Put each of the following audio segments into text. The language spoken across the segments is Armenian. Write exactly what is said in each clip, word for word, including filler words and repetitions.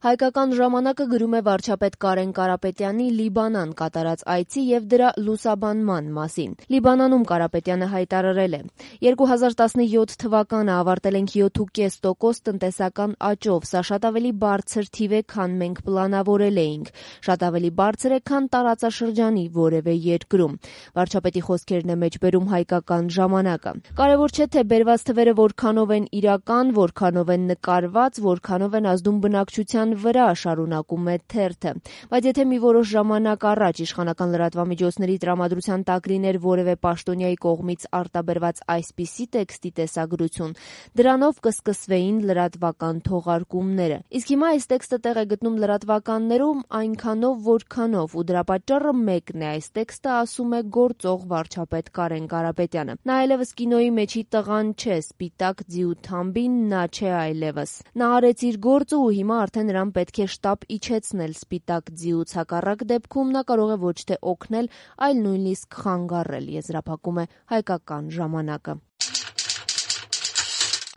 Հայկական ժամանակը գրում է վարչապետ Կարեն Կարապետյանի Լիբանան կատարած այցի եւ դրա լուսաբանման մասին։ Լիբանանում Կարապետյանը հայտարարել է. երկու հազար տասնյոթ թվականը ավարտել ենք յոթ կόμμα պենս տոկոս տնտեսական աճով, սա շատ ավելի բարձր թիվ է, քան մենք պլանավորել էինք, շատ ավելի բարձր է, քան տարածաշրջանի որևէ երկրում։ Վարչապետի խոսքերն է մեջբերում Հայկական ժամանակը։ Կարևոր չէ, թե բերված թվերը որքանով են իրական, որքանով են նկարված, որքանով են ազդում բնակչության վրա, շարունակում է թերթը, բայց եթե մի որոշ ժամանակ առաջ իշխանական լրատվամիջոցների տրամադրության տակ լիներ որևէ պաշտոնյայի կողմից արտաբերված այսպիսի տեքստի տեսագրություն, դրանով կսկսվեին լրատվական թողարկումները։ Իսկ հիմա այս տեքստը տեղ է գտնում լրատվականներում այնքանով, որքանով, ու դրա պատճառը մեկն է, այս տեքստը ասում է գործող վարչապետ Կարեն Կարապետյանը։ Նա այլևս կինոյի մեջի տղան չէ, սպիտակ ձիու թամբին նա չէ այլևս։ Նա արեց իր գործը ու հիմա արդեն նրան պետք է շտապ իջեցնել սպիտակ ձիուց, հակառակ դեպքում նա կարող է ոչ թե օգնել, այլ նույնիսկ խանգարել, եզրափակում է Հայկական ժամանակը։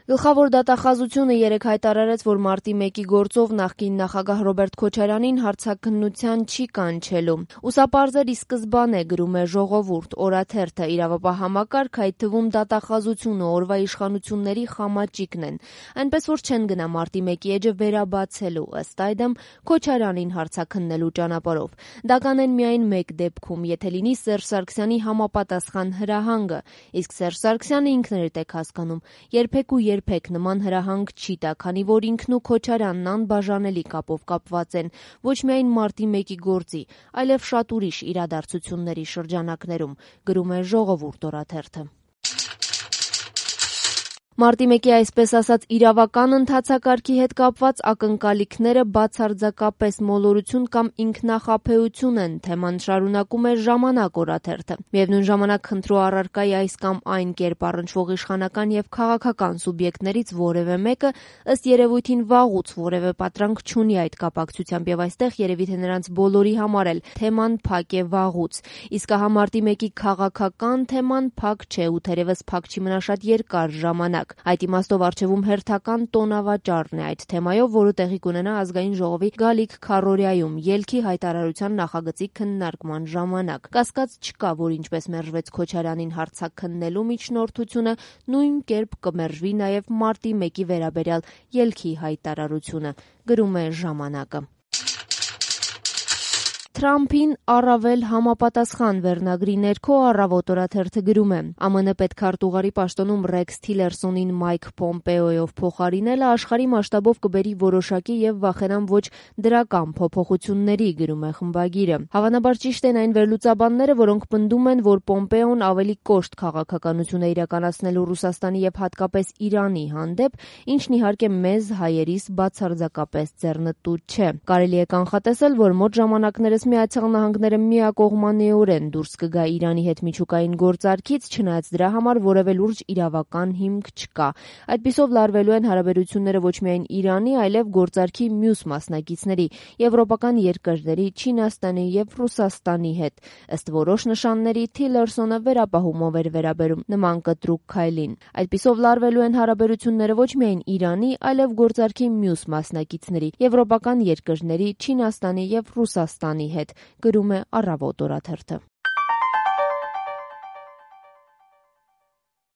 Գլխավոր դատախազությունը երեկ հայտարարեց, որ մարտի մեկի գործով նախկին նախագահ Ռոբերտ Քոչարյանին հարցաքննության չի կանչելու։ Ուսապարզ էր ի սկզբանե, գրում է Ժողովուրդ, օրաթերթը, իրավապահ համակարգ, այդ թվում դատախազությունը օրվա իշխանությունների խամաճիկն են, այնպես որ չեն գնա մարտի մեկի էջը վերաբացելու, ըստ այդմ Քոչարյանին հարցաքննելու ճանապարհով։ Դա կանեն միայն մեկ դեպքում, եթե լինի Սերժ Սարգսյանի համապատասխան հրահանգը, իսկ Սերժ Սարգսյանը ինքն էր տեք հասկանում, երբեք ու երբեք նման հրահանգ չի տա, քանի որ ինքն ու Քոչարյանն անբաժանելի կապով կապված են ոչ միայն մարտի մեկի գործի, այլև շատ ուրիշ իրադարձությունների շրջանակներում, գրում է Ժողովուրդ օրաթերթը։ Մարտի մեկի այսպես ասած իրավական ընթացակարգի հետ կապված ակնկալիքները բացարձակապես մոլորություն կամ ինքնախաբեություն են, թեման շարունակում է Ժամանակ օրաթերթը։ Միևնույն ժամանակ խնդրու առարկայի այս կամ այն կերպ առնչվող իշխանական եւ քաղաքական սուբյեկտներից որևէ մեկը ըստ երևույթին վաղուց որևէ պատրանք չունի այդ կապակցությամբ եւ այստեղ երևի թե նրանց բոլորի համար էլ թեման փակ է վաղուց։ Իսկ ահա մարտի մեկի քաղաքական թեման փակ չէ ու թերևս փակ չի մնա շատ երկար ժամանակ։ Այդ իմաստով առջևում հերթական տոնավաճառն է այդ թեմայով, որը տեղի կունենա Ազգային ժողովի գալիք քառօրյայում ելքի հայտարարության նախագծի քննարկման ժամանակ։ Կասկած չկա, որ ինչպես մերժվեց Քոչարյանին հարցաքննելու միջնորդությունը, նույն կերպ կմերժվի նաև մարտի մեկի վերաբերյալ ելքի հայտարարությունը, գրում է Ժամանակը։ Թրամփին առավել համապատասխան վերնագրի ներքո Առավոտ օրաթերթը գրում է. ԱՄՆ պետքարտուղարի պաշտոնում Ռեքս Թիլերսոնին Մայք Պոմպեոյով փոխարինելը աշխարհի մասշտաբով կբերի որոշակի եւ վախենամ ոչ դրական փոփոխությունների, գրում է խմբագիրը։ Հավանաբար ճիշտ են այն վերլուծաբանները, որոնք պնդում են, որ Պոմպեոն ավելի կոշտ քաղաքականություն է իրականացնելու Ռուսաստանի եւ հատկապես Իրանի հանդեպ, ինչն իհարկե մեզ հայերիս բացարձակապես ձեռնտու չէ։ Կարելի է կանխատեսել, որ մոտ ժամանակներս Միացյալ Նահանգները միակողմանիորեն դուրս կգա Իրանի հետ միջուկային գործարքից, չնայած դրա համար որևէ լուրջ իրավական հիմք չկա։ Այդպիսով լարվելու են հարաբերությունները ոչ միայն Իրանի, այլև գործարքի մյուս մասնակիցների, եվրոպական երկրների, Չինաստանի եւ Ռուսաստանի հետ։ Ըստ որոշ նշանների Թիլերսոնը վերապահումով էր վերաբերում նման կտրուկ քայլին։ Այդպիսով լարվելու են հարաբերությունները ոչ միայն Իրանի, այլև գործարքի մյուս մասնակիցների, եվրոպական երկրների, Չինաստանի եւ Ռուսաստանի հետ, գրում է Առավոտ օրաթերթը։